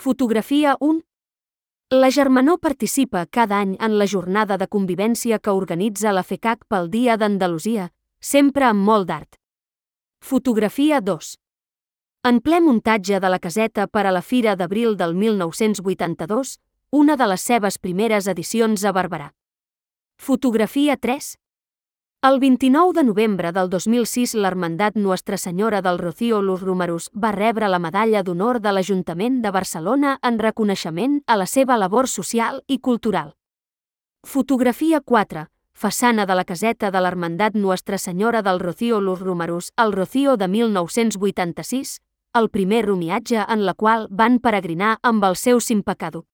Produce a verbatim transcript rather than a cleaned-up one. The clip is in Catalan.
Fotografia un. La Germanor participa cada any en la jornada de convivència que organitza la FECAC pel Dia d'Andalusia, sempre amb molt d'art. Fotografia dos. En ple muntatge de la caseta per a la Fira d'Abril del mil nou-cents vuitanta-dos, una de les seves primeres edicions a Barberà. Fotografia tres. El vint-i-nou de novembre del dos mil sis l'Hermandat Nuestra Senyora del Rocío Los Romerus va rebre la Medalla d'Honor de l'Ajuntament de Barcelona en reconeixement a la seva labor social i cultural. Fotografia quatre. Façana de la caseta de l'Hermandat Nuestra Senyora del Rocío Los Romerus al Rocío de mil nou-cents vuitanta-sis, el primer romiatge en la qual van peregrinar amb el seu Sin Pecado.